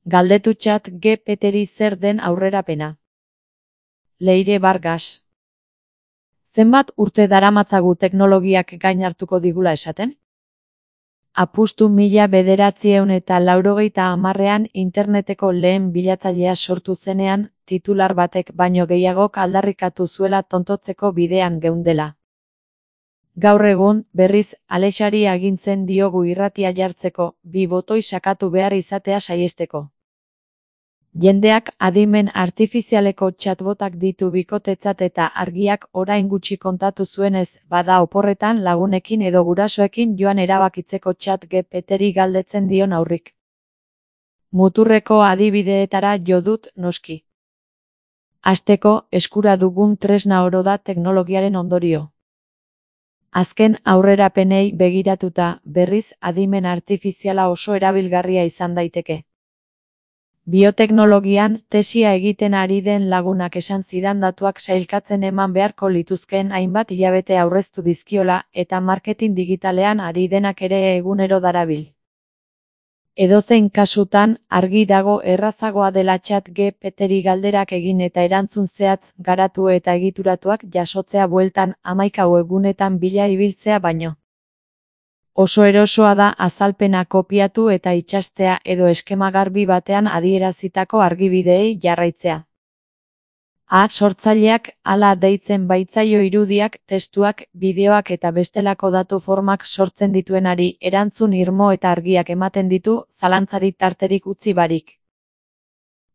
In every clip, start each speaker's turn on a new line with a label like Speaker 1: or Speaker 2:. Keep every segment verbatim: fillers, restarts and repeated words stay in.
Speaker 1: Galdetu Chat G P T-ri zer den aurrerapena. Leire Vargas. Zenbat urte daramatzagu teknologiak gain hartuko digula esaten? Apustu mila bederatziehun eta laurogeita hamarrean interneteko lehen bilatzailea sortu zenean, titular batek baino gehiagok aldarrikatu zuela tontotzeko bidean geundela. Gaur egun, berriz, Alexari agintzen diogu irratia jartzeko, bi botoi sakatu behar izatea saihesteko. Jendeak adimen artifizialeko chatbotak ditu bikotetzat eta argiak orain gutxi kontatu zuenez, bada oporretan lagunekin edo gurasoekin joan erabakitzeko Chat G P T-ri galdetzen dion aurrik. Muturreko adibideetara jo dut noski. Hasteko, eskura dugun tresna oro da teknologiaren ondorio. Azken aurrerapenei begiratuta, berriz adimen artifiziala oso erabilgarria izan daiteke. Bioteknologian, tesia egiten ari den lagunak esan zidan datuak sailkatzen eman beharko lituzkeen hainbat hilabete aurreztu dizkiola, eta marketing digitalean ari denak ere egunero darabil. Edozein kasutan, argi dago errazagoa dela Chat G P T-ri galderak egin eta erantzun zehatz, garatu eta egituratuak jasotzea bueltan, hamaika webgunetan bila ibiltzea baino. Oso erosoa da azalpena kopiatu eta itsastea edo eskema garbi batean adierazitako argibideei jarraitzea. A sortzaileak hala deitzen baitzaio irudiak, testuak, bideoak eta bestelako datu formak sortzen dituenari erantzun irmo eta argiak ematen ditu, zalantzari tarterik utzi barik.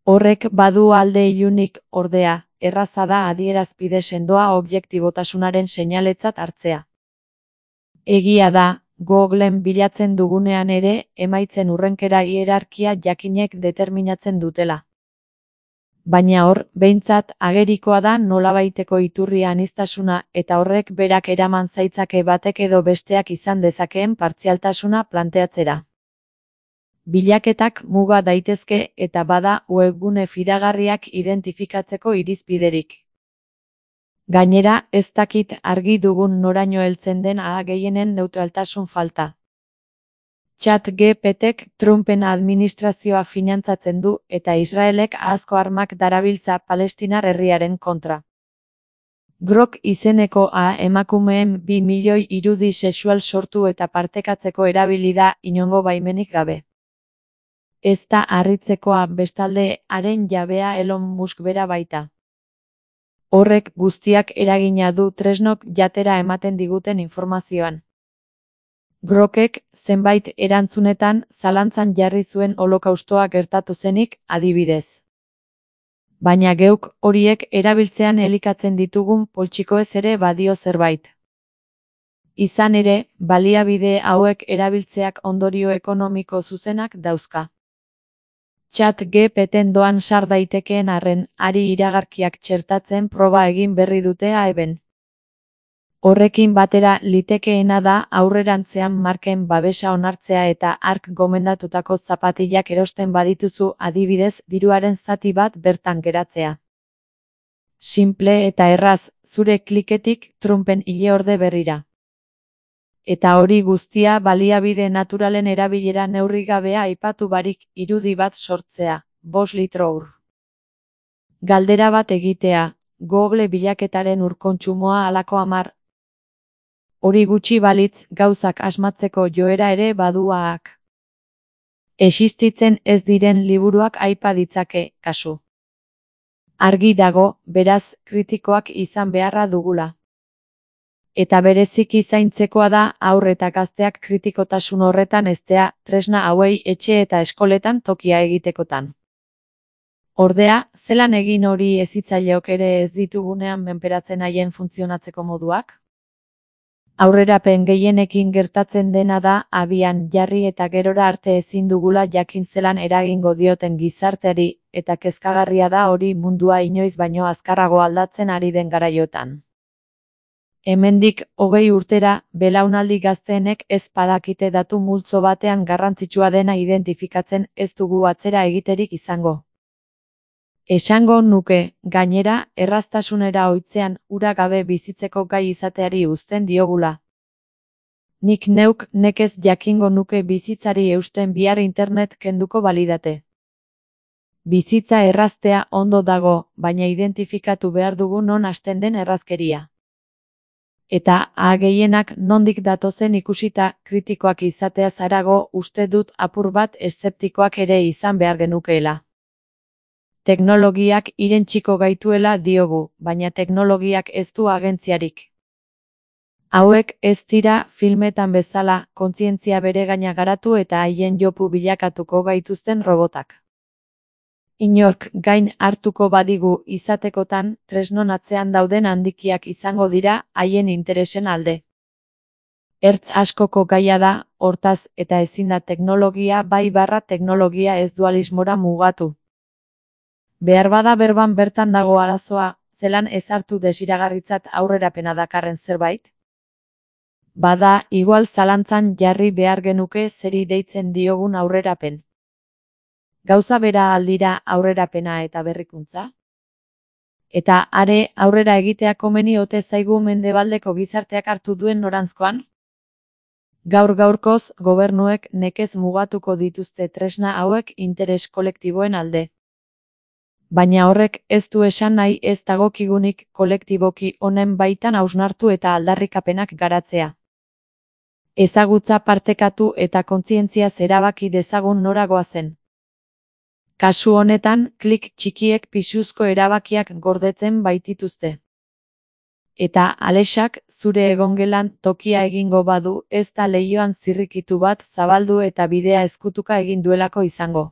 Speaker 1: Horrek badu alde ilunik, ordea, erraza da adierazpide sendoa objektibotasunaren seinaletzat hartzea. Egia da, Googlen bilatzen dugunean ere, emaitzen urrenkera hierarkia jakinek determinatzen dutela. Baina hor, behintzat, agerikoa da nolabaiteko iturri aniztasuna eta horrek berak eraman zaitzake batek edo besteak izan dezakeen partzialtasuna planteatzera. Bilaketak muga daitezke eta bada webgune fidagarriak identifikatzeko irizpiderik. Gainera, ez dakit argi dugun noraino heltzen den A gehienen neutraltasun falta. Chat G P T-k Trumpen administrazioa finantzatzen du eta Israelek ahazko armak darabiltza Palestinar herriaren kontra. Grok izeneko A emakumeen bi milioi irudi sexual sortu eta partekatzeko erabili da inongo baimenik gabe. Ez da harritzekoa bestalde haren jabea Elon Musk bera baita. Horrek guztiak eragina du tresnok jatera ematen diguten informazioan. Grokek, zenbait erantzunetan, zalantzan jarri zuen holokaustoa gertatu zenik, adibidez. Baina geuk horiek erabiltzean elikatzen ditugun poltsikoez ere badio zerbait. Izan ere, baliabide hauek erabiltzeak ondorio ekonomiko zuzenak dauzka. Chat G P T-en doan sar daitekeen arren, ari iragarkiak txertatzen proba egin berri dute A-ben. Horrekin batera litekeena da aurrerantzean marken babesa onartzea eta hark gomendatutako zapatillak erosten badituzu adibidez diruaren zati bat bertan geratzea. Simple eta erraz, zure kliketik Trumpen ileorde berrira. Eta hori guztia baliabide naturalen erabilera neurrigabea aipatu barik irudi bat sortzea, bost litro ur. Galdera bat egitea, Google bilaketaren urkontsumoa halako hamar. Hori gutxi balitz gauzak asmatzeko joera ere baduaak. Existitzen ez diren liburuak aipa ditzake, kasu. Argi dago, beraz, kritikoak izan beharra dugula. Eta bereziki zaintzekoa da haur eta gazteak kritikotasun horretan eztea, tresna hauei etxe eta eskoletan tokia egitekotan. Ordea, zelan egin hori hezitzaileok ere ez ditugunean menperatzen haien funtzionatzeko moduak? Aurrerapen gehienekin gertatzen dena da abian jarri eta gerora arte ezin dugula jakin zelan eragingo dioten gizarteari, eta kezkagarria da hori mundua inoiz baino azkarrago aldatzen ari den garaiotan. Hemendik hogei urtera, belaunaldi gazteenek ez badakite datu multzo batean garrantzitsua dena identifikatzen ez dugu atzera egiterik izango. Esango nuke, gainera, erraztasunera ohitzean ura gabe bizitzeko gai izateari uzten diogula. Nik neuk nekez jakingo nuke bizitzari eusten bihar internet kenduko balidate. Bizitza erraztea ondo dago, baina identifikatu behar dugu non hasten den errazkeria. Eta a gehienak nondik datozen ikusita kritikoak izatea zarago uste dut apur bat eszeptikoak ere izan behar genukeela. Teknologiak irentsiko gaituela diogu, baina teknologiak ez du agentziarik. Hauek ez dira filmetan bezala kontzientzia beregaina garatu eta haien jopu bilakatuko gaituzten robotak. Inork gain hartuko badigu izatekotan tresnon atzean dauden handikiak izango dira haien interesen alde. Ertz askoko gaia da, hortaz, eta ezin da teknologia bai barra teknologia ez dualismora mugatu. Beharbada berban bertan dago arazoa, zelan ezartu desiragarritzat aurrerapena dakarren zerbait? Bada, igual zalantzan jarri behar genuke zeri deitzen diogun aurrerapen. Gauza bera aldira aurrerapena eta berrikuntza? Eta are aurrera egitea komeni ote zaigu mendebaldeko gizarteak hartu duen noranzkoan? Gaur gaurkoz gobernuek nekez mugatuko dituzte tresna hauek interes kolektiboen alde. Baina horrek ez du esan nahi ez dagokigunik kolektiboki honen baitan hausnartu eta aldarrikapenak garatzea. Ezagutza partekatu eta kontzientziaz erabaki dezagun nora goazen. Kasu honetan, klik txikiek pisuzko erabakiak gordetzen baitituzte. Eta Alexak zure egongelan tokia egingo badu ez da leihoan zirrikitu bat zabaldu eta bidea ezkutuka egin duelako izango.